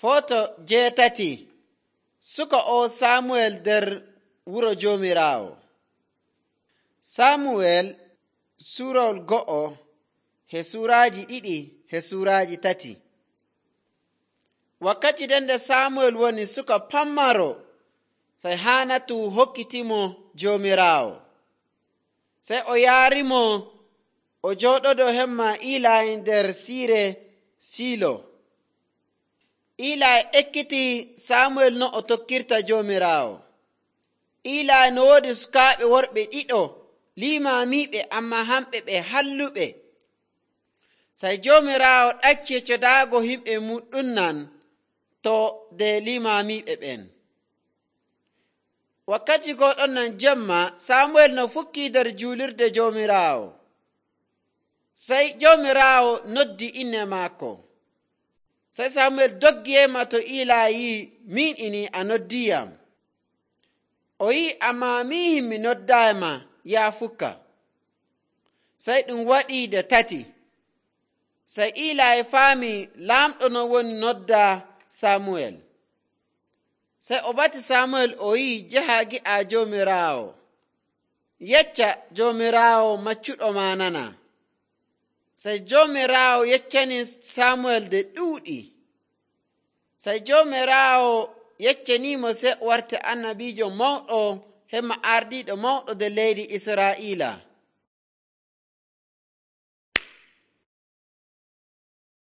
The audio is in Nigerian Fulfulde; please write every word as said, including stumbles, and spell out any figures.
Foto jeetati. Suka o Samuel nder wuro Joomiraawo. Samuel suurawol go'o he suuraaji ɗiɗi he suuraaji tati. Wakkati nden nde Samuel woni suka pammaro, sey Haanatu hokkitimo Joomiraawo. Sey o yaarimo o jooɗodo hemma Iilay nder siire Siilo. Iilay ekkiti Samuel no o tokkirta Joomiraawo. Iilay no woodi sukaaɓe worɓe ɗiɗo limaamiiɓe, ammaa hamɓe ɓe halluɓe. Sey Joomiraawo ɗacci codaago himɓe mum ɗu'nan to de limaamiiɓe ɓen. Wakkati gooɗon nan jemma, Samuel no fukkii nder juulirde Joomiraawo. Sey Joomiraawo noddi inne maako. Sey Samuel doggi yema to Iilay yi'i, min ini a noddiyam. O yi'i, ammaa min mi noddaayima, yaa fukka. Sey ɗum waɗii nde tati. Sey Iilay faami laamɗo no woni nodda Samuel. Sey o bati Samuel o yi'i, jaha gi'a Joomiraawo. Yecca Joomiraawo maccuɗo ma nana. Sey Joomiraawo yeccani Samuel nde ɗuuɗi. Sey Joomiraawo yeccaniimo sey o warti annabiijo mawɗo hemma ardiiɗo mawɗo nder leydi Israa'iila.